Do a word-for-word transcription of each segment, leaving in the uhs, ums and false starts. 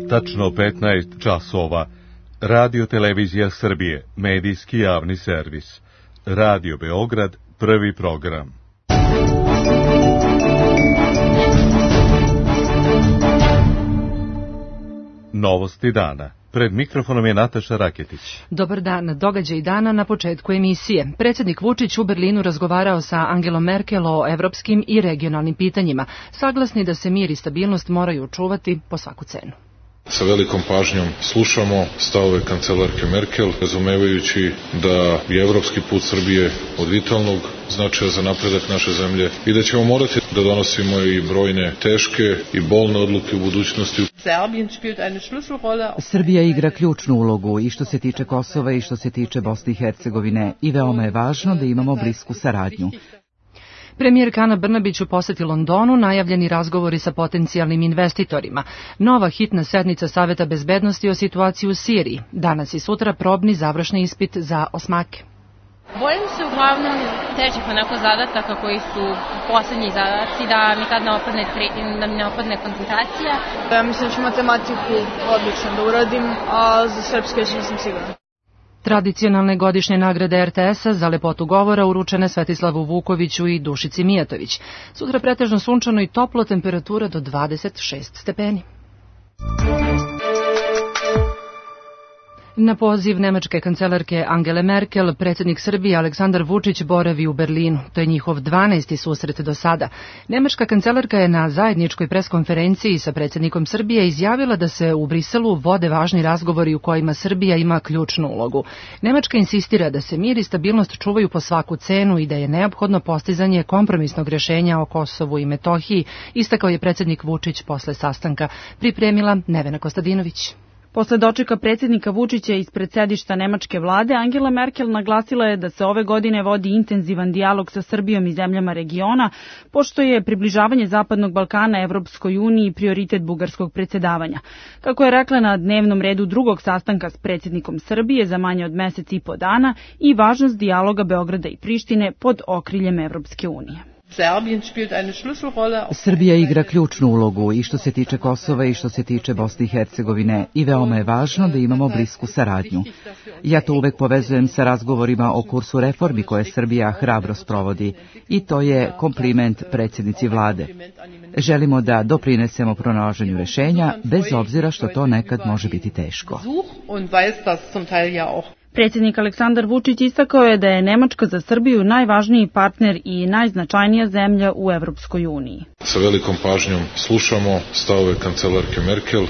Tačno petnaest časova. Radio Televizija Srbije, medijski javni servis. Radio Beograd, prvi program. Novosti dana. Pred mikrofonom je Nataša Raketić. Dobar dan, događaj dana na početku emisije. Predsjednik Vučić u Berlinu razgovarao sa Angelom Merkel o evropskim i regionalnim pitanjima, saglasni da se mir i stabilnost moraju čuvati po svaku cenu. Sa velikom pažnjom slušamo stavove kancelarke Merkel, razumevajući da je evropski put Srbije od vitalnog značaja za napredak naše zemlje i da ćemo morati da donosimo i brojne teške i bolne odluke u budućnosti. Srbija igra ključnu ulogu i što se tiče Kosova i što se tiče Bosne i Hercegovine i veoma je važno da imamo blisku saradnju. Premijerka Ana Brnabić u poseti Londonu, najavljeni razgovori sa potencijalnim investitorima, nova hitna sednica Saveta bezbednosti o situaciji u Siriji, danas i sutra probni završni ispit za osmake. Bojim se uglavnom težih onako zadataka koji su poslednji zadaci, da mi tad ne opadne, da mi ne opadne koncentracija. Ja mislim da ću matematiku odlično da uradim, a za srpske još nisam sigurna. Tradicionalne godišnje nagrade er te esa za lepotu govora uručene Svetislavu Vukoviću i Dušici Mijatović. Sutra pretežno sunčano i toplo, temperatura do dvadeset šest stepeni. Na poziv nemačke kancelarke Angele Merkel, predsjednik Srbije Aleksandar Vučić boravi u Berlinu. To je njihov dvanaesti susret do sada. Nemačka kancelarka je na zajedničkoj preskonferenciji sa predsjednikom Srbije izjavila da se u Briselu vode važni razgovori u kojima Srbija ima ključnu ulogu. Nemačka insistira da se mir i stabilnost čuvaju po svaku cenu i da je neophodno postizanje kompromisnog rješenja o Kosovu i Metohiji, istakao je predsjednik Vučić posle sastanka. Pripremila Nevena Kostadinović. Posle dočeka predsjednika Vučića ispred sedišta nemačke vlade, Angela Merkel naglasila je da se ove godine vodi intenzivan dijalog sa Srbijom i zemljama regiona, pošto je približavanje Zapadnog Balkana Evropskoj uniji prioritet bugarskog predsjedavanja. Kako je rekla na dnevnom redu drugog sastanka s predsjednikom Srbije za manje od mesec i po dana i važnost dijaloga Beograda i Prištine pod okriljem Evropske unije. Srbija igra ključnu ulogu i što se tiče Kosova i što se tiče Bosne i Hercegovine i veoma je važno da imamo blisku saradnju. Ja to uvek povezujem sa razgovorima o kursu reformi koje Srbija hrabro sprovodi i to je kompliment predsjednici vlade. Želimo da doprinesemo pronalaženju rešenja bez obzira što to nekad može biti teško. Predsjednik Aleksandar Vučić istakao je da je Nemačka za Srbiju najvažniji partner i najznačajnija zemlja u Evropskoj uniji. Sa velikom pažnjom slušamo stavove kancelarke Merkel,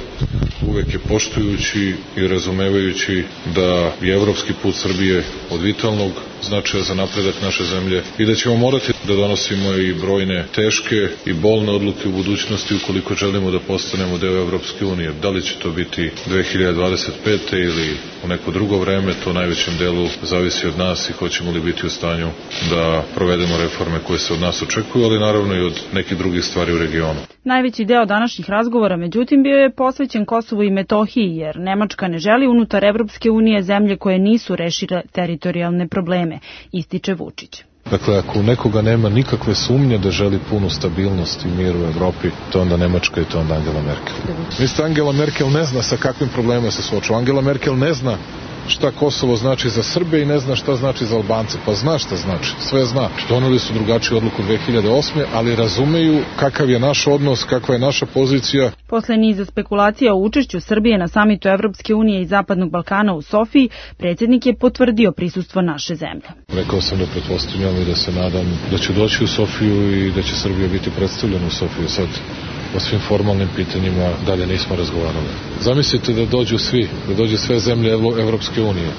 uvek je poštujući i razumevajući da je evropski put Srbije od vitalnog značaja za napredak naše zemlje i da ćemo morati da donosimo i brojne teške i bolne odluke u budućnosti ukoliko želimo da postanemo deo Evropske unije. Da li će to biti dve hiljade dvadeset pete ili u neko drugo vreme, to u najvećem delu zavisi od nas i hoćemo li biti u stanju da provedemo reforme koje se od nas očekuju, ali naravno i od nekih drugih stvari u regionu. Najveći deo današnjih razgovora, međutim, bio je posvećen Kosovu i Metohiji, jer Nemačka ne želi unutar Evropske unije zemlje koje nisu rešile teritorijalne probleme, ističe Vučić. Dakle, ako u nekoga nema nikakve sumnje da želi punu stabilnost i mir u Evropi, to onda Nemačka i to onda Angela Merkel. Mislite, Angela Merkel ne zna sa kakvim problemima se suočava. Angela Merkel ne zna šta Kosovo znači za Srbe i ne zna šta znači za Albance. Pa zna šta znači, sve zna. Doneli su drugačiju odluku dve hiljade osme, ali razumeju kakav je naš odnos, kakva je naša pozicija. Posle niza spekulacija o učešću Srbije na samitu Evropske unije i Zapadnog Balkana u Sofiji, predsjednik je potvrdio prisustvo naše zemlje. Rekao sam da pretpostavljam i da se nadam da će doći u Sofiju i da će Srbija biti predstavljena u Sofiju. Sad o svim formalnim pitanjima dalje nismo razgovarali. Zamislite da dođu svi, da dođu sve zemlje Evropske unije,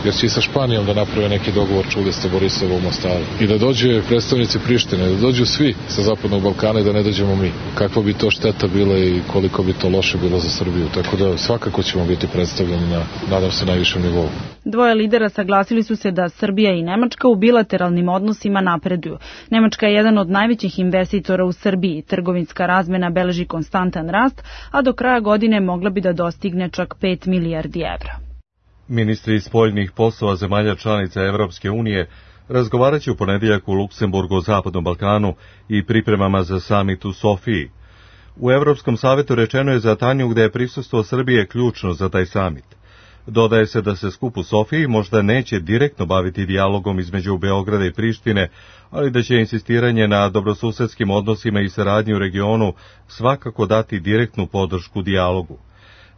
jer će i sa Španijom da naprave neki dogovor, čuli ste Borisovo u Mostaru. I da dođe predstavnici Prištine, da dođu svi sa Zapadnog Balkana i da ne dođemo mi. Kakva bi to šteta bila i koliko bi to loše bilo za Srbiju. Tako da svakako ćemo biti predstavljeni na, nadam se, najvišem nivou. Dvoje lidera saglasili su se da Srbija i Nemačka u bilateralnim odnosima napreduju. Nemačka je jedan od najvećih investitora u Srbiji. Trgovinska razmena beleži konstantan rast, a do kraja godine mogla bi da dostigne čak pet milijardi evra. Ministri spoljnih poslova zemalja članica Evropske unije razgovarat će u ponedjeljak u Luksemburgu o Zapadnom Balkanu i pripremama za samit u Sofiji. U Evropskom savetu rečeno je za Tanjug da je prisustvo Srbije ključno za taj samit. Dodaje se da se skup u Sofiji možda neće direktno baviti dijalogom između Beograda i Prištine, ali da će insistiranje na dobrosusedskim odnosima i saradnji u regionu svakako dati direktnu podršku dijalogu.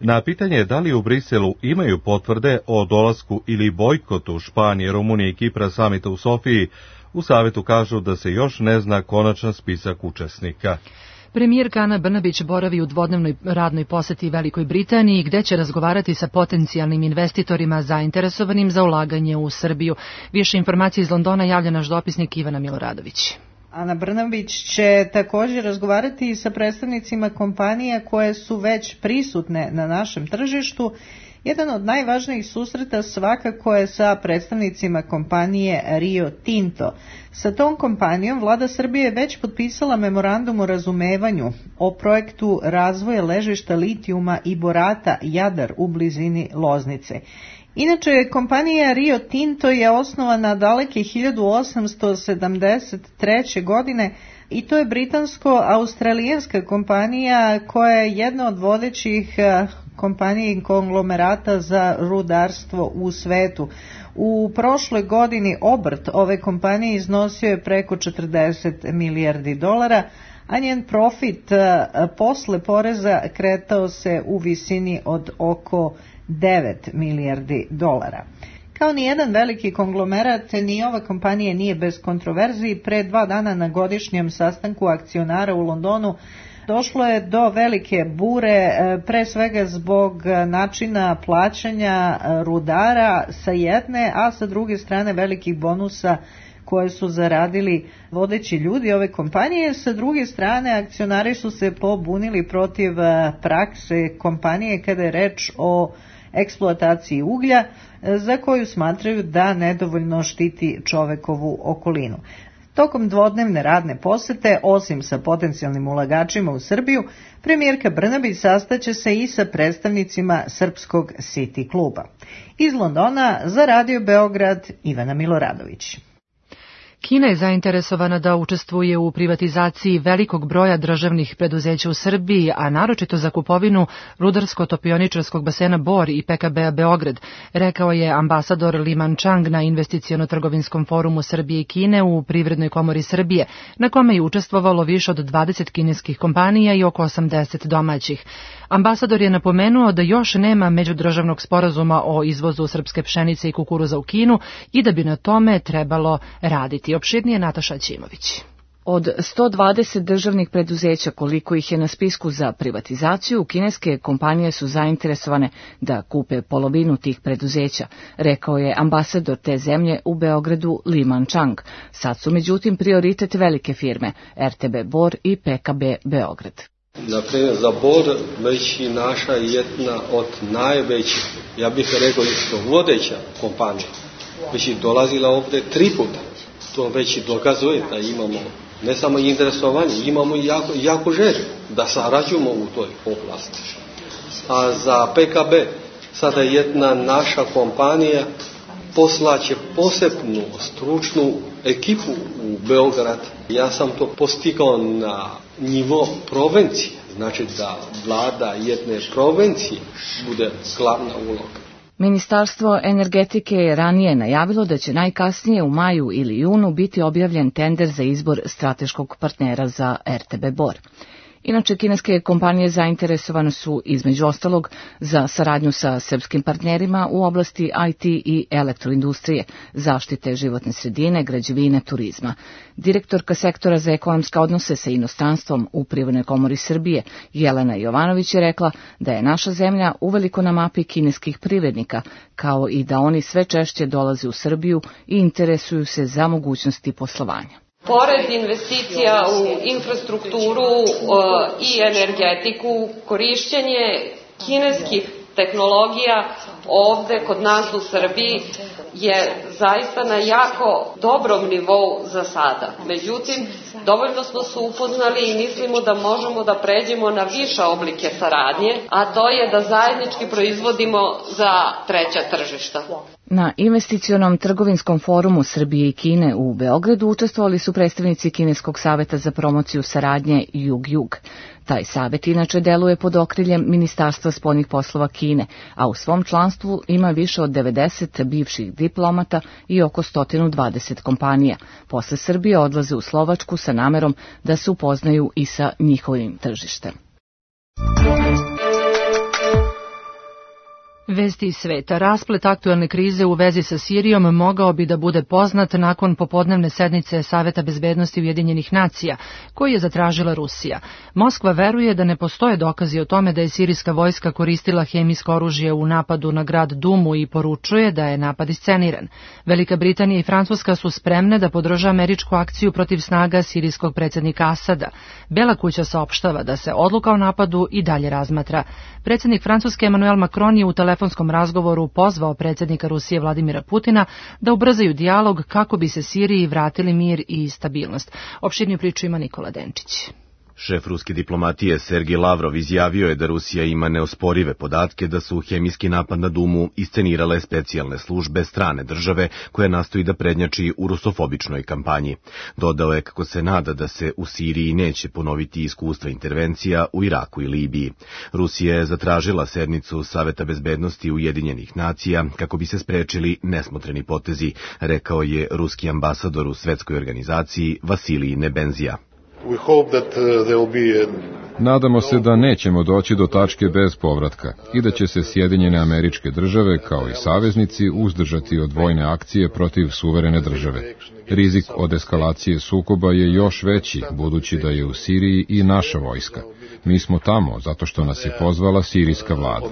Na pitanje da li u Briselu imaju potvrde o dolasku ili bojkotu Španije, Rumunije i Kipra samita u Sofiji, u savetu kažu da se još ne zna konačan spisak učesnika. Premijerka Ana Brnabić boravi u dvodnevnoj radnoj poseti Velikoj Britaniji, gde će razgovarati sa potencijalnim investitorima zainteresovanim za ulaganje u Srbiju. Više informacije iz Londona javlja naš dopisnik Ivana Miloradović. Ana Brnabić će također razgovarati i sa predstavnicima kompanija koje su već prisutne na našem tržištu. Jedan od najvažnijih susreta svakako je sa predstavnicima kompanije Rio Tinto. Sa tom kompanijom vlada Srbije je već potpisala memorandum o razumevanju o projektu razvoja ležišta litijuma i borata Jadar u blizini Loznice. Inače, kompanija Rio Tinto je osnovana daleke hiljadu osamsto sedamdeset treće. godine i to je britansko-australijanska kompanija koja je jedna od vodećih kompanija i konglomerata za rudarstvo u svetu. U prošloj godini obrt ove kompanije iznosio je preko četrdeset milijardi dolara, a njen profit posle poreza kretao se u visini od oko devet milijardi dolara. Kao ni jedan veliki konglomerat, ni ova kompanija nije bez kontroverziji. Pre dva dana na godišnjem sastanku akcionara u Londonu došlo je do velike bure, pre svega zbog načina plaćanja rudara sa jedne, a sa druge strane velikih bonusa koje su zaradili vodeći ljudi ove kompanije. Sa druge strane, akcionari su se pobunili protiv prakse kompanije kada je reč o eksploataciji uglja, za koju smatraju da nedovoljno štiti čovekovu okolinu. Tokom dvodnevne radne posete, osim sa potencijalnim ulagačima u Srbiju, premijerka Brnabić sastaće se i sa predstavnicima Srpskog City kluba. Iz Londona za Radio Beograd, Ivana Miloradović. Kina je zainteresovana da učestvuje u privatizaciji velikog broja državnih preduzeća u Srbiji, a naročito za kupovinu rudarsko-topioničarskog basena Bor i P K B-a Beograd, rekao je ambasador Li Manchang na investiciono-trgovinskom forumu Srbije i Kine u Privrednoj komori Srbije, na kome je učestvovalo više od dvadeset kineskih kompanija i oko osamdeset domaćih. Ambasador je napomenuo da još nema međudržavnog sporazuma o izvozu srpske pšenice i kukuruza u Kinu i da bi na tome trebalo raditi. Opširnije Nataša Ćimović. Od sto dvadeset državnih preduzeća koliko ih je na spisku za privatizaciju, kineske kompanije su zainteresovane da kupe polovinu tih preduzeća, rekao je ambasador te zemlje u Beogradu Li Manchang. Sad su međutim prioritet velike firme R T B Bor i P K B Beograd. Naprimjer, za Bor već i naša jedna od najvećih, ja bih rekao isto vodeća kompanija, već i dolazila ovdje tri puta. To već i dokazuje da imamo ne samo interesovanje, imamo i jako, jako želju da sarađujemo u toj oblasti. A za P K B sada jedna naša kompanija poslaće posebnu stručnu ekipu u Beograd. Ja sam to postigao na nivo provincije, znači da vlada jedne provincije bude glavna uloga. Ministarstvo energetike je ranije najavilo da će najkasnije u maju ili junu biti objavljen tender za izbor strateškog partnera za R T B Bor. Inače, kineske kompanije zainteresovane su između ostalog za saradnju sa srpskim partnerima u oblasti I T i elektroindustrije, zaštite životne sredine, građevine, turizma. Direktorka sektora za ekonomske odnose sa inostranstvom u Privrednoj komori Srbije, Jelena Jovanović, je rekla da je naša zemlja uveliko na mapi kineskih privrednika, kao i da oni sve češće dolaze u Srbiju i interesuju se za mogućnosti poslovanja. Pored investicija u infrastrukturu i energetiku, korišćenje kineskih tehnologija ovde kod nas u Srbiji je zaista na jako dobrom nivou za sada. Međutim, dovoljno smo se upoznali i mislimo da možemo da pređemo na više oblike saradnje, a to je da zajednički proizvodimo za treća tržišta. Na investicionom trgovinskom forumu Srbije i Kine u Beogradu učestvovali su predstavnici Kineskog saveta za promociju saradnje Jug-Jug. Taj savet inače deluje pod okriljem Ministarstva spoljnih poslova Kine, a u svom članstvu ima više od devedeset bivših diplomata i oko sto dvadeset kompanija. Posle Srbije odlaze u Slovačku sa namerom da se upoznaju i sa njihovim tržištem. Vesti iz sveta. Rasplet aktuelne krize u vezi sa Sirijom mogao bi da bude poznat nakon popodnevne sednice Saveta bezbednosti Ujedinjenih nacija, koji je zatražila Rusija. Moskva veruje da ne postoje dokazi o tome da je sirijska vojska koristila hemijsko oružje u napadu na grad Dumu i poručuje da je napad isceniran. Velika Britanija i Francuska su spremne da podrže američku akciju protiv snaga sirijskog predsjednika Asada. Bela kuća saopštava da se odluka o napadu i dalje razmatra. Predsjednik Francuske Emmanuel Macron je u telefonskom razgovoru pozvao predsjednika Rusije Vladimira Putina da ubrzaju dijalog kako bi se Siriji vratili mir i stabilnost. Opširniju priču ima Nikola Denčić. Šef ruske diplomatije Sergej Lavrov izjavio je da Rusija ima neosporive podatke da su hemijski napad na Dumu iscenirale specijalne službe strane države koja nastoji da prednjači u rusofobičnoj kampanji. Dodao je kako se nada da se u Siriji neće ponoviti iskustva intervencija u Iraku i Libiji. Rusija je zatražila sednicu Saveta bezbednosti Ujedinjenih nacija kako bi se sprečili nesmotreni potezi, rekao je ruski ambasador u svetskoj organizaciji Vasilij Nebenzija. Nadamo se da nećemo doći do tačke bez povratka i da će se Sjedinjene Američke Države kao i saveznici uzdržati od vojne akcije protiv suverene države. Rizik od eskalacije sukoba je još veći, budući da je u Siriji i naša vojska. Mi smo tamo zato što nas je pozvala sirijska vlada.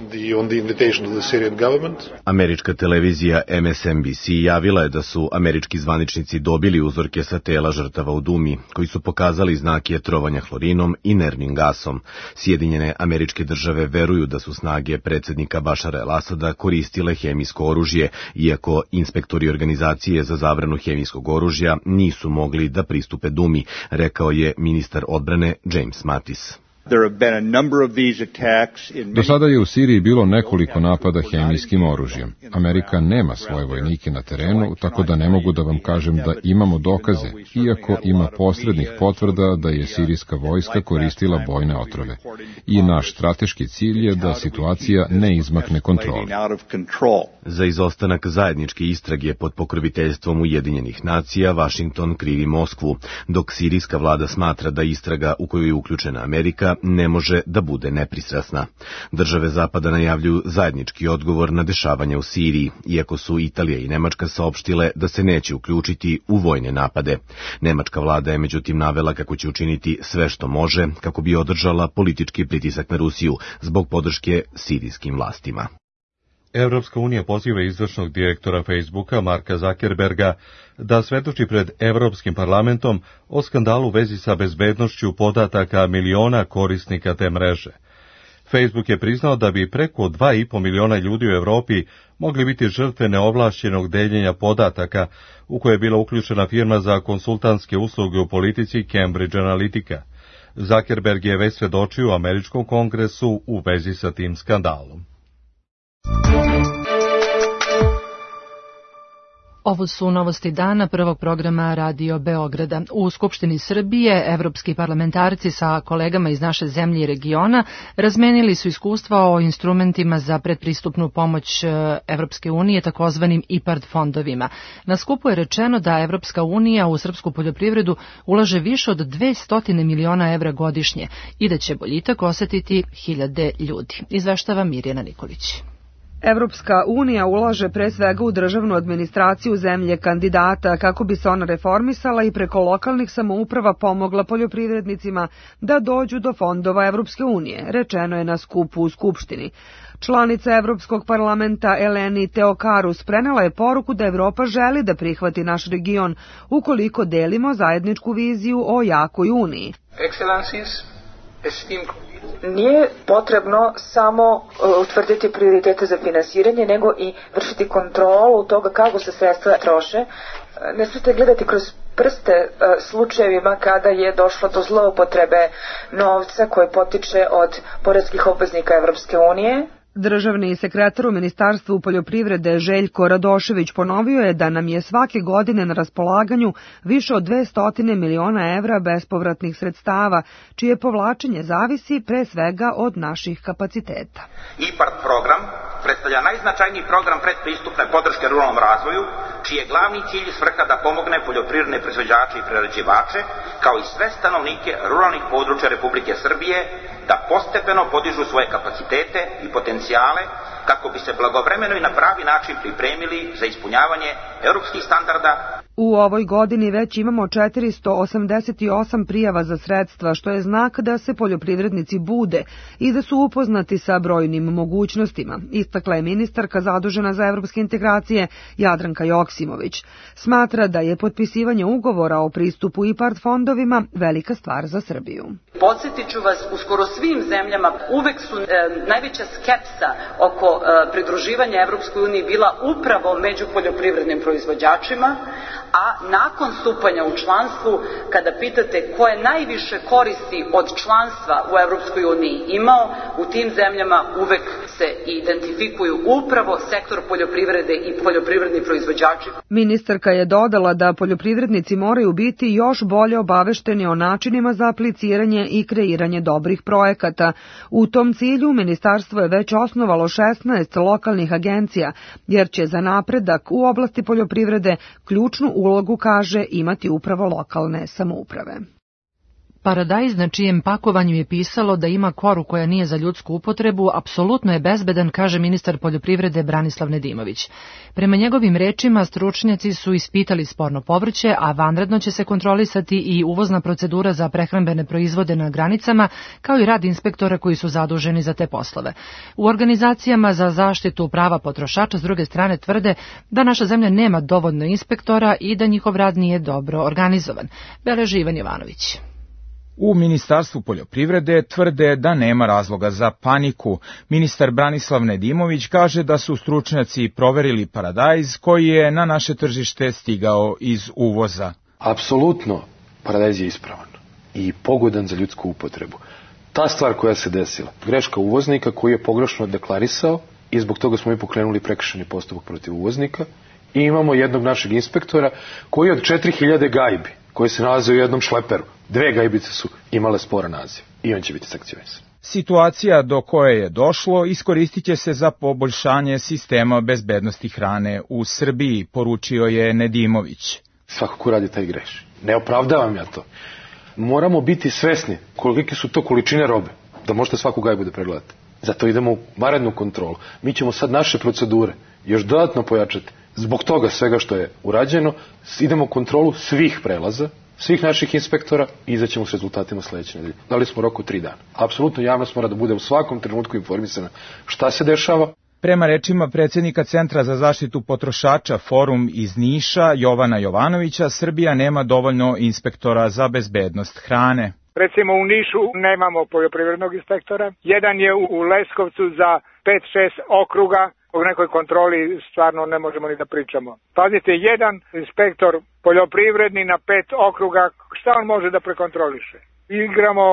Američka televizija M S N B C javila je da su američki zvaničnici dobili uzorke sa tela žrtava u Dumi, koji su pokazali znake trovanja hlorinom i nervnim gasom. Sjedinjene Američke Države veruju da su snage predsjednika Bašara el-Asada koristile hemijsko oružje, iako inspektori organizacije za zabranu hemijskog oružja nisu mogli da pristupe Dumi, rekao je ministar odbrane James Mattis. Do sada je u Siriji bilo nekoliko napada hemijskim oružjem. Amerika nema svoje vojnike na terenu, tako da ne mogu da vam kažem da imamo dokaze, iako ima posrednih potvrda da je sirijska vojska koristila bojne otrove. I naš strateški cilj je da situacija ne izmakne kontroli. Za izostanak zajedničke istrage pod pokroviteljstvom Ujedinjenih nacija, Vašington krivi Moskvu, dok sirijska vlada smatra da istraga u koju je uključena Amerika ne može da bude nepristrasna. Države Zapada najavljuju zajednički odgovor na dešavanja u Siriji, iako su Italija i Nemačka saopštile da se neće uključiti u vojne napade. Nemačka vlada je međutim navela kako će učiniti sve što može kako bi održala politički pritisak na Rusiju zbog podrške sirijskim vlastima. Evropska unija poziva izvršnog direktora Facebooka Marka Zuckerberga da svedoči pred Evropskim parlamentom o skandalu u vezi sa bezbednošću podataka miliona korisnika te mreže. Facebook je priznao da bi preko dva i po miliona ljudi u Evropi mogli biti žrtve neovlašćenog deljenja podataka u koje je bila uključena firma za konsultantske usluge u politici Cambridge Analytica. Zuckerberg je već svedočio u Američkom kongresu u vezi sa tim skandalom. Ovo su novosti dana prvog programa Radio Beograda. U Skupštini Srbije evropski parlamentarci sa kolegama iz naše zemlje i regiona razmenili su iskustva o instrumentima za predpristupnu pomoć Evropske unije, takozvanim IPARD fondovima. Na skupu je rečeno da Evropska unija u srpsku poljoprivredu ulaže više od dvesta miliona evra godišnje i da će boljitak osetiti hiljade ljudi. Izveštava Mirjana Nikolić. Evropska unija ulaže pre svega u državnu administraciju zemlje kandidata kako bi se ona reformisala i preko lokalnih samouprava pomogla poljoprivrednicima da dođu do fondova Evropske unije, rečeno je na skupu u Skupštini. Članica Evropskog parlamenta Eleni Teokarus prenela je poruku da Evropa želi da prihvati naš region ukoliko delimo zajedničku viziju o jakoj uniji. Nije potrebno samo utvrditi prioritete za finansiranje, nego i vršiti kontrolu toga kako se sredstva troše. Ne smijete gledati kroz prste slučajevima kada je došlo do zloupotrebe novca koji potiče od poreskih obveznika Evropske unije. Državni sekretar u Ministarstvu poljoprivrede Željko Radošević ponovio je da nam je svake godine na raspolaganju više od dvesta miliona evra bespovratnih sredstava, čije povlačenje zavisi pre svega od naših kapaciteta. IPARD program predstavlja najznačajniji program predpristupne podrške ruralnom razvoju, čiji je glavni cilj i svrha da pomogne poljoprivredne proizvođače i prerađivače, kao i sve stanovnike ruralnih područja Republike Srbije, da postepeno podižu svoje kapacitete i potencijale kako bi se blagovremeno i na pravi način pripremili za ispunjavanje evropskih standarda. U ovoj godini već imamo četiristo osamdeset osam prijava za sredstva, što je znak da se poljoprivrednici bude i da su upoznati sa brojnim mogućnostima, istakla je ministarka zadužena za evropske integracije Jadranka Joksimović. Smatra da je potpisivanje ugovora o pristupu IPARD fondovima velika stvar za Srbiju. Podsjetit ću vas, u skoro svim zemljama uvek su e, najveća skepsa oko e, pridruživanja Evropskoj uniji bila upravo među poljoprivrednim proizvođačima, a nakon stupanja u članstvu, kada pitate ko je najviše koristi od članstva u Evropskoj uniji imao, u tim zemljama uvek se identifikuju upravo sektor poljoprivrede i poljoprivredni proizvođači. Ministarka je dodala da poljoprivrednici moraju biti još bolje obavešteni o načinima za apliciranje i kreiranje dobrih projekata. U tom cilju ministarstvo je već osnovalo šesnaest lokalnih agencija, jer će za napredak u oblasti poljoprivrede ključnu ulogu, kaže, imati upravo lokalne samouprave. Paradajz na čijem pakovanju je pisalo da ima koru koja nije za ljudsku upotrebu, apsolutno je bezbedan, kaže ministar poljoprivrede Branislav Nedimović. Prema njegovim rečima, stručnjaci su ispitali sporno povrće, a vanredno će se kontrolisati i uvozna procedura za prehrambene proizvode na granicama, kao i rad inspektora koji su zaduženi za te poslove. U organizacijama za zaštitu prava potrošača s druge strane tvrde da naša zemlja nema dovoljno inspektora i da njihov rad nije dobro organizovan. Beleži Ivan Jovanović. U Ministarstvu poljoprivrede tvrde da nema razloga za paniku. Ministar Branislav Nedimović kaže da su stručnjaci proverili paradajz koji je na naše tržište stigao iz uvoza. Apsolutno, paradajz je ispravan i pogodan za ljudsku upotrebu. Ta stvar koja se desila, greška uvoznika koji je pogrešno deklarisao i zbog toga smo i pokrenuli prekršajni postupak protiv uvoznika i imamo jednog našeg inspektora koji od četiri hiljade gajbi koji se nalaze u jednom šleperu, dve gajbice su imale sporan naziv i on će biti sankcionisan. Situacija do koje je došlo iskoristit će se za poboljšanje sistema bezbednosti hrane u Srbiji, poručio je Nedimović. Svako ko radi taj greši. Ne opravdavam ja to. Moramo biti svesni kolike su to količine robe, da možete svaku gajbu da pregledate. Zato idemo u vanrednu kontrolu. Mi ćemo sad naše procedure još dodatno pojačati. Zbog toga svega što je urađeno, idemo u kontrolu svih prelaza, svih naših inspektora i izaćemo s rezultatima sledeće nedelje. Dali smo rok od tri dana. Apsolutno javnost mora da bude u svakom trenutku informisana šta se dešava. Prema rečima predsjednika Centra za zaštitu potrošača Forum iz Niša, Jovana Jovanovića, Srbija nema dovoljno inspektora za bezbednost hrane. Recimo u Nišu nemamo poljoprivrednog inspektora. Jedan je u Leskovcu za pet šest okruga. O nekoj kontroli stvarno ne možemo ni da pričamo. Pazite, jedan inspektor poljoprivredni na pet okruga, šta on može da prekontroliše? Igramo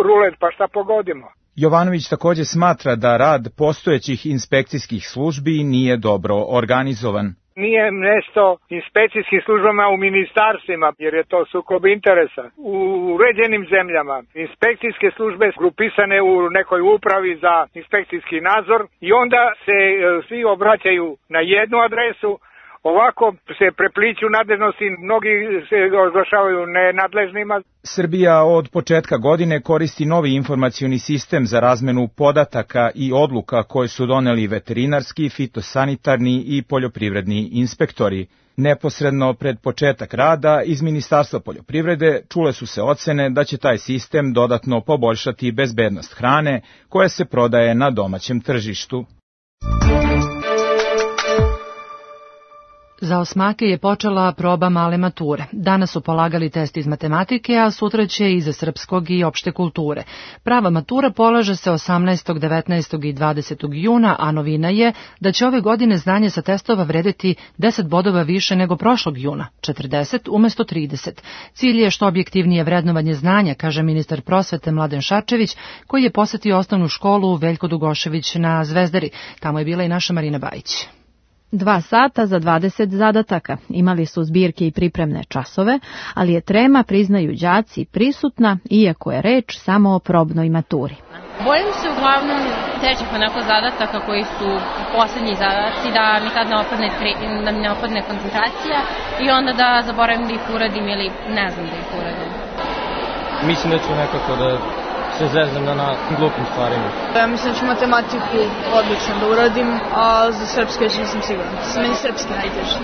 rulet, pa šta pogodimo? Jovanović također smatra da rad postojećih inspekcijskih službi nije dobro organizovan. Nije mjesto inspekcijskim službama u ministarstvima, jer je to sukob interesa. U uređenim zemljama inspekcijske službe grupisane u nekoj upravi za inspekcijski nadzor i onda se svi obraćaju na jednu adresu. Ovako se prepliću nadležnosti, mnogi se oglašavaju nenadležnima. Srbija od početka godine koristi novi informacioni sistem za razmenu podataka i odluka koje su doneli veterinarski, fitosanitarni i poljoprivredni inspektori. Neposredno pred početak rada iz Ministarstva poljoprivrede čule su se ocene da će taj sistem dodatno poboljšati bezbednost hrane koja se prodaje na domaćem tržištu. Za osmake je počela proba male mature. Danas su polagali test iz matematike, a sutra će i za srpskog i opšte kulture. Prava matura polaže se osamnaestog, devetnaestog i dvadesetog juna, a novina je da će ove godine znanje sa testova vredeti deset bodova više nego prošlog juna, četrdeset umesto trideset. Cilj je što objektivnije vrednovanje znanja, kaže ministar prosvete Mladen Šarčević, koji je posetio osnovnu školu Veljko Dugošević na Zvezdari. Tamo je bila i naša Marina Bajić. Dva sata za dvadeset zadataka. Imali su zbirke i pripremne časove, ali je trema, priznaju đaci, prisutna, iako je reč samo o probnoj maturi. Bojim se uglavnom težih onako zadataka koji su poslednji zadaci, da mi tad ne opadne, da mi ne opadne koncentracija i onda da zaboravim da ih uradim ili ne znam da ih uradim. Mislim da ću nekako da se zeznem na, na glupim stvarima. Ja mislim da ću matematiku odlično da uradim, a za srpski još nisam siguran. S meni srpski najteži.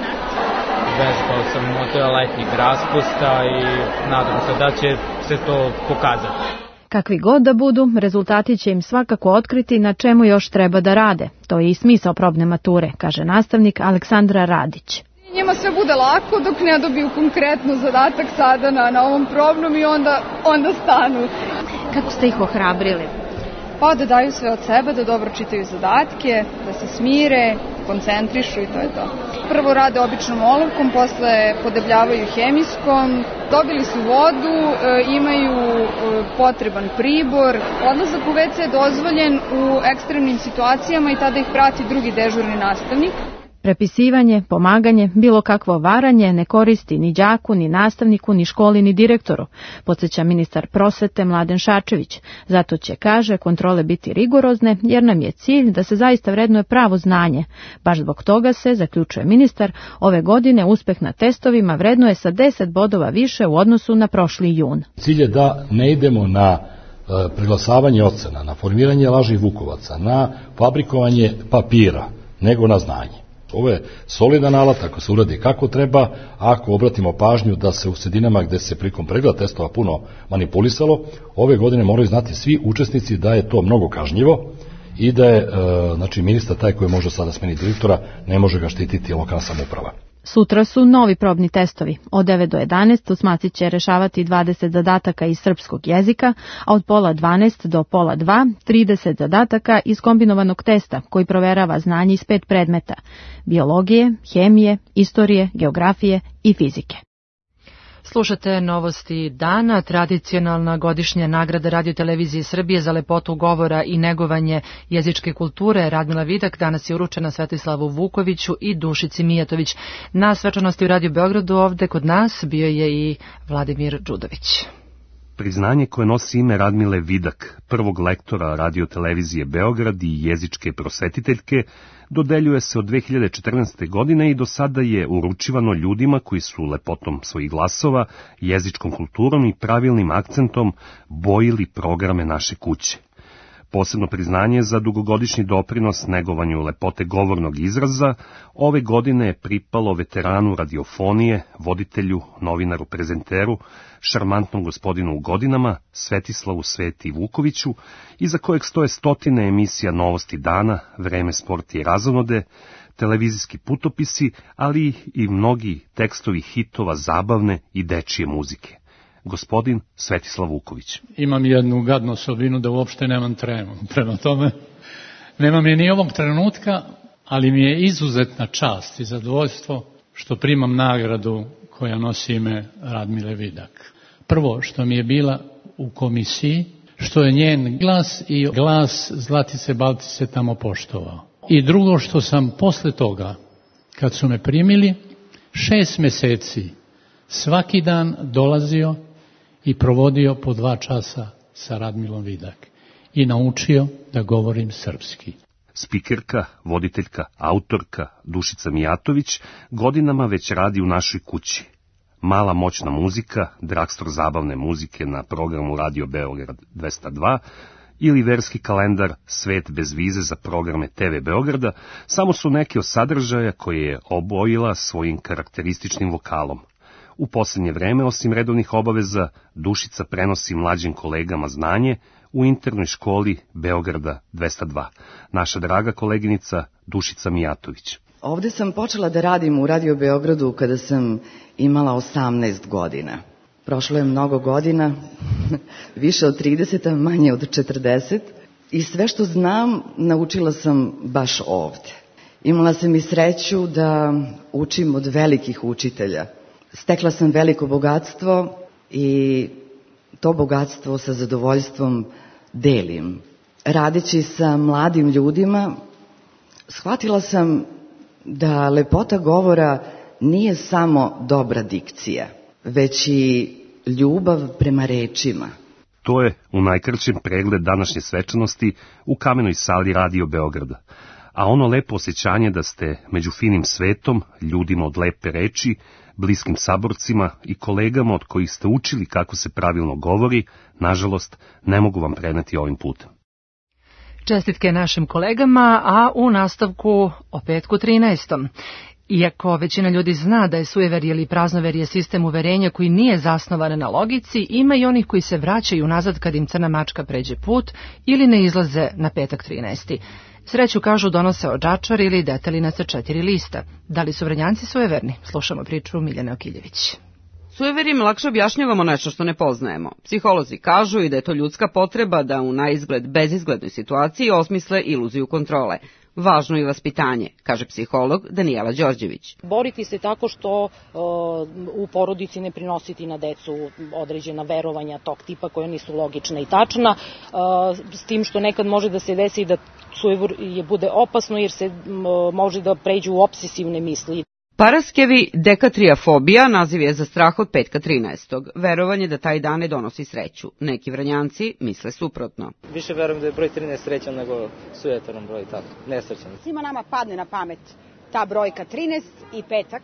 Vežbao sam motora letnjeg raspusta i nadam se da će se to pokazati. Kakvi god da budu, rezultati će im svakako otkriti na čemu još treba da rade. To je i smisao probne mature, kaže nastavnik Aleksandra Radić. Njima sve bude lako dok ne dobiju konkretno zadatak sada na, na ovom probnom i onda, onda stanu. Kako ste ih ohrabrili? Pa da daju sve od sebe, da dobro čitaju zadatke, da se smire, koncentrišu i to je to. Prvo rade običnom olovkom, posle podebljavaju hemijskom, dobili su vodu, e, imaju e, potreban pribor. Odlazak u ve ce je dozvoljen u ekstremnim situacijama i tada ih prati drugi dežurni nastavnik. Prepisivanje, pomaganje, bilo kakvo varanje ne koristi ni đaku, ni nastavniku, ni školi, ni direktoru, podsjeća ministar prosvete Mladen Šarčević. Zato će, kaže, kontrole biti rigorozne, jer nam je cilj da se zaista vrednuje pravo znanje. Baš zbog toga se, zaključuje ministar, ove godine uspeh na testovima vrednuje sa deset bodova više u odnosu na prošli jun. Cilj je da ne idemo na preglasavanje ocena, na formiranje lažnih vukovaca, na fabrikovanje papira, nego na znanje. Ovo je solidan alat, ako se uradi kako treba, ako obratimo pažnju da se u sredinama gde se prilikom pregleda testova puno manipulisalo, ove godine moraju znati svi učesnici da je to mnogo kažnjivo i da je e, znači, ministar taj koji može sada smeniti direktora, ne može ga štititi lokalna samouprava. Sutra su novi probni testovi. Od devet do jedanaest osmaci će rešavati dvadeset zadataka iz srpskog jezika, a od pola dvanaest do pola dva trideset zadataka iz kombinovanog testa koji proverava znanje iz pet predmeta: biologije, hemije, istorije, geografije i fizike. Slušate novosti dana. Tradicionalna godišnja nagrada Radio-televizije Srbije za lepotu govora i negovanje jezičke kulture Radmila Vidak danas je uručena Svetislavu Vukoviću i Dušici Mijatović. Na svečanosti u Radio Beogradu ovde kod nas bio je i Vladimir Đudović. Priznanje koje nosi ime Radmile Vidak, prvog lektora Radio-televizije Beograd i jezičke prosvetiteljke, dodeljuje se od dve hiljade četrnaeste. godine i do sada je uručivano ljudima koji su lepotom svojih glasova, jezičkom kulturom i pravilnim akcentom bojili programe naše kuće. Posebno priznanje za dugogodišnji doprinos negovanju lepote govornog izraza ove godine je pripalo veteranu radiofonije, voditelju, novinaru, prezenteru, šarmantnom gospodinu u godinama, Svetislavu Sveti Vukoviću, iza kojeg stoje stotine emisija Novosti dana, Vreme, sport i razonode, televizijski putopisi, ali i mnogi tekstovi hitova zabavne i dečije muzike. Gospodin Svetislav Vuković. Imam jednu gadnu osobinu da uopšte nemam tremu. Prema tome, nemam je ni ovog trenutka, ali mi je izuzetna čast i zadovoljstvo što primam nagradu koja nosi ime Radmile Vidak. Prvo, što mi je bila u komisiji, što je njen glas i glas Zlatice Baltice tamo poštovao. I drugo, što sam posle toga, kad su me primili, šest meseci svaki dan dolazio i provodio po dva časa sa Radmilom Vidak i naučio da govorim srpski. Spikerka, voditeljka, autorka Dušica Mijatović godinama već radi u našoj kući. Mala moćna muzika, dragstor zabavne muzike na programu Radio Beograd dvesta dva ili verski kalendar Svet bez vize za programe te ve Beograda samo su neke od sadržaja koje je obojila svojim karakterističnim vokalom. U posljednje vreme, osim redovnih obaveza, Dušica prenosi mlađim kolegama znanje u internoj školi Beograda dvesta dva. Naša draga koleginica Dušica Mijatović. Ovde sam počela da radim u Radio Beogradu kada sam imala osamnaest godina. Prošlo je mnogo godina, više od trideset, a manje od četrdeset, i sve što znam naučila sam baš ovde. Imala sam i sreću da učim od velikih učitelja. Stekla sam veliko bogatstvo i to bogatstvo sa zadovoljstvom delim. Radeći sa mladim ljudima, shvatila sam da lepota govora nije samo dobra dikcija, već i ljubav prema rečima. To je u najkraćem pregled današnje svečanosti u kamenoj sali Radio Beograda. A ono lepo osjećanje da ste među finim svetom, ljudima od lepe reči, bliskim saborcima i kolegama od kojih ste učili kako se pravilno govori, nažalost, ne mogu vam preneti ovim putem. Čestitke našim kolegama, a u nastavku o petku trinaestom. Iako većina ljudi zna da je sujeverje ili praznoverje sistem uverenja koji nije zasnovan na logici, ima i onih koji se vraćaju nazad kad im crna mačka pređe put ili ne izlaze na petak trinaesti. Sreću, kažu, donose odžačar ili detelina sa četiri lista. Da li su Vranjanci sujeverni? Slušamo priču Miljane Okiljević. Sujeverima lakše objašnjavamo nešto što ne poznajemo. Psiholozi kažu i da je to ljudska potreba da u naizgled bezizglednoj situaciji osmisle iluziju kontrole. Važno je vaspitanje, kaže psiholog Danijela Đorđević. Boriti se tako što uh, u porodici ne prinositi na decu određena verovanja tog tipa koja nisu logična i tačna, uh, s tim što nekad može da se desi da sujeverje bude opasno jer se uh, može da pređu u obsesivne misli. Paraskevi dekatriafobija naziv je za strah od petka trinaestog. Verovanje da taj dan ne donosi sreću. Neki Vranjanci misle suprotno. Više verujem da je broj trinaest srećan nego sujetan broj, tako, nesrećan. Svima nama padne na pamet ta brojka trinaest i petak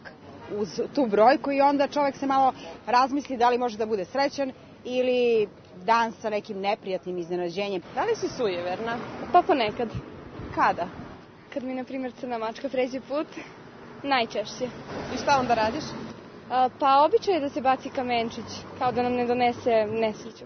uz tu brojku i onda čovjek se malo razmisli da li može da bude srećan ili dan sa nekim neprijatnim iznenađenjem. Da li si sujeverna? Pa ponekad. Kada? Kad mi, na primjer, crna mačka pređe put. Najčešće. I šta onda radiš? A, pa običaj je da se baci kamenčić, kao da nam ne donese nesreću.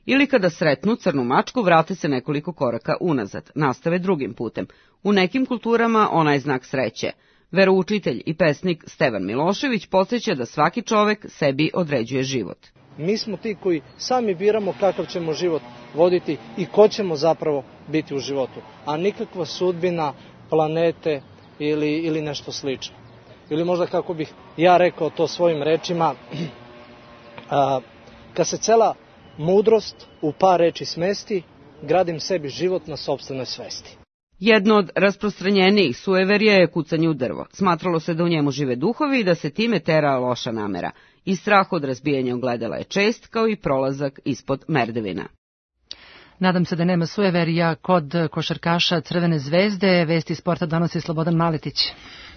Ili kada sretnu crnu mačku, vrate se nekoliko koraka unazad, nastave drugim putem. U nekim kulturama ona je znak sreće. Veroučitelj i pesnik Stevan Milošević podsjeća da svaki čovek sebi određuje život. Mi smo ti koji sami biramo kakav ćemo život voditi i ko ćemo zapravo biti u životu, a nikakva sudbina, planete ili, ili nešto slično. Ili možda kako bih ja rekao to svojim rečima, a, kad se cela mudrost u par reči smesti, gradim sebi život na sopstvenoj svesti. Jedno od rasprostranjenijih sujeverja je kucanje u drvo. Smatralo se da u njemu žive duhovi i da se time tera loša namera. I strah od razbijanja ogledala je čest, kao i prolazak ispod merdevina. Nadam se da nema sujeverja kod košarkaša Crvene zvezde. Vesti sporta donosi Slobodan Maletić.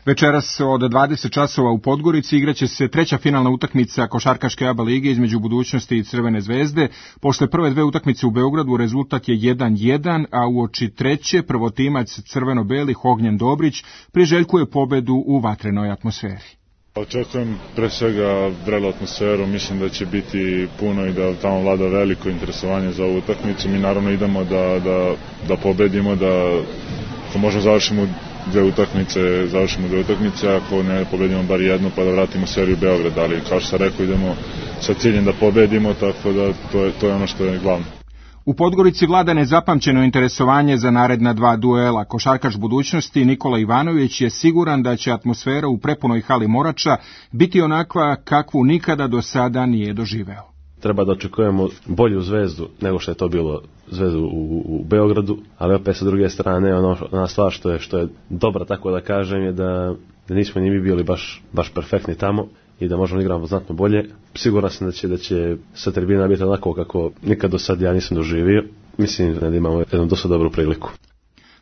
Večeras od dvadeset časova u Podgorici igraće se treća finalna utakmica košarkaške A B A lige između Budućnosti i Crvene zvezde. Posle prve dve utakmice u Beogradu rezultat je jedan jedan, a uoči treće prvotimac crveno-belih Ognjen Dobrić priželjkuje pobedu u vatrenoj atmosferi. Očekujem pre svega vrelu atmosferu, mislim da će biti puno i da tamo vlada veliko interesovanje za ovu utakmicu. Mi naravno idemo da, da, da pobedimo, da ako možemo završimo dve utakmice, završimo dve utakmice, ako ne pobedimo bar jednu pa da vratimo seriju Beograd, ali kao što sam rekao idemo sa ciljem da pobedimo, tako da to je, to je ono što je glavno. U Podgorici vlada nezapamćeno interesovanje za naredna dva duela. Košarkaš Budućnosti Nikola Ivanović je siguran da će atmosfera u prepunoj hali Morača biti onakva kakvu nikada do sada nije doživeo. Treba da očekujemo bolju Zvezdu nego što je to bilo Zvezdu u, u Beogradu, ali opet sa druge strane ono, ona stvar što je, što je dobra, tako da kažem, je da, da nismo ni mi bili baš, baš perfektni tamo i da možemo igrati znatno bolje. Siguran sam da će, da će sa tribina biti onako kako nikad do sad ja nisam doživio. Mislim da imamo jednu dosta dobru priliku.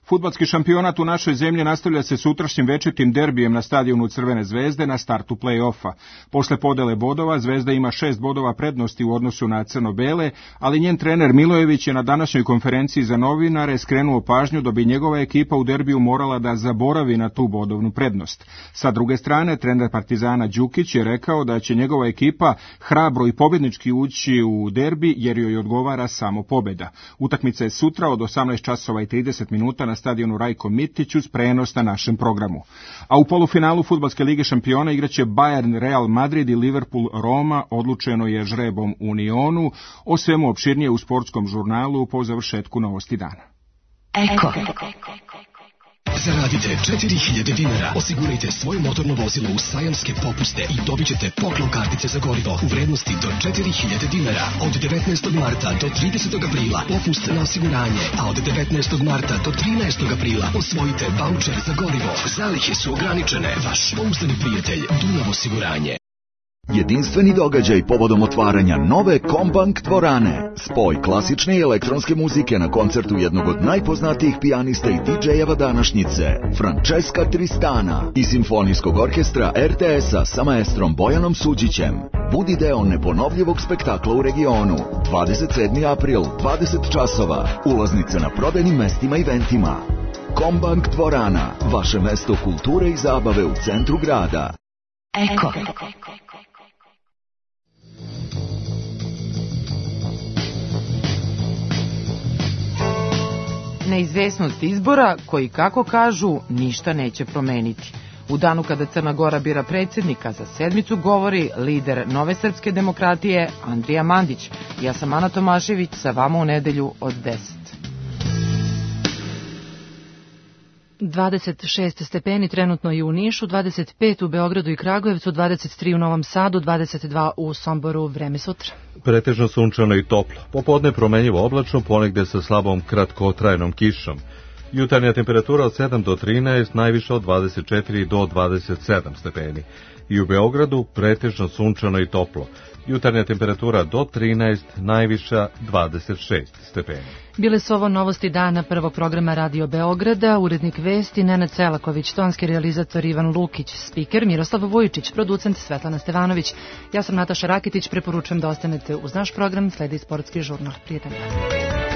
Fudbalski šampionat u našoj zemlji nastavlja se sutrašnjim večitim derbijem na stadionu Crvene zvezde na startu play-offa. Posle podele bodova, Zvezda ima šest bodova prednosti u odnosu na crno-bele, ali njen trener Milojević je na današnjoj konferenciji za novinare skrenuo pažnju da bi njegova ekipa u derbiju morala da zaboravi na tu bodovnu prednost. Sa druge strane, trener Partizana Đukić je rekao da će njegova ekipa hrabro i pobednički ući u derbi jer joj odgovara samo pobeda. Utakmica je sutra od osamnaest časova i trideset minuta na stadionu Rajko Mitić uz prenos na našem programu. A u polufinalu Fudbalske lige šampiona igraće Bayern Real Madrid i Liverpool Roma, odlučeno je žrebom Unionu, o svemu opširnije u sportskom žurnalu po završetku novosti dana. Eko. Zaradite četiri hiljade dinara, osigurajte svoje motorno vozilo u sajamske popuste i dobit ćete poklon kartice za gorivo u vrednosti do četiri hiljade dinara. Od devetnaestog marta do tridesetog aprila popust na osiguranje, a od devetnaestog marta do trinaestog aprila osvojite vaučer za gorivo. Zalihe su ograničene. Vaš pouzdani prijatelj Dunav osiguranje. Jedinstveni događaj povodom otvaranja nove Kombank dvorane. Spoj klasične i elektronske muzike na koncertu jednog od najpoznatijih pijanista i didžejeva današnjice, Francesca Tristana, i simfonijskog orkestra er te es-a sa maestrom Bojanom Suđićem. Budi deo neponovljivog spektakla u regionu. dvadeset sedmi april, dvadeset časova. Ulaznice na prodajnim mestima i eventima. Kombank dvorana, vaše mesto kulture i zabave u centru grada. Eko. Neizvesnost izbora, koji, kako kažu, ništa neće promeniti. U danu kada Crna Gora bira predsjednika, za sedmicu govori lider Nove srpske demokratije Andrija Mandić. Ja sam Ana Tomašević, sa vama u nedelju od deset. dvadeset šest stepeni trenutno i u Nišu, dvadeset pet u Beogradu i Kragujevcu, dvadeset tri u Novom Sadu, dvadeset dva u Somboru. Vreme sutra. Pretežno sunčano i toplo. Popodne promenljivo oblačno, ponegde sa slabom kratkotrajnom kišom. Jutarnja temperatura od sedam do trinaest, najviša od dvadeset četiri do dvadeset sedam stepeni. I u Beogradu pretežno sunčano i toplo. Jutarnja temperatura do trinaest, najviša dvadeset šest stepeni. Bile su ovo novosti dana prvog programa Radio Beograda, urednik vesti Nenad Celaković, tonski realizator Ivan Lukić, spiker Miroslav Vujičić, producent Svetlana Stevanović. Ja sam Nataša Rakitić, preporučujem da ostanete uz naš program, sledi sportski žurnal. Prijetan dan.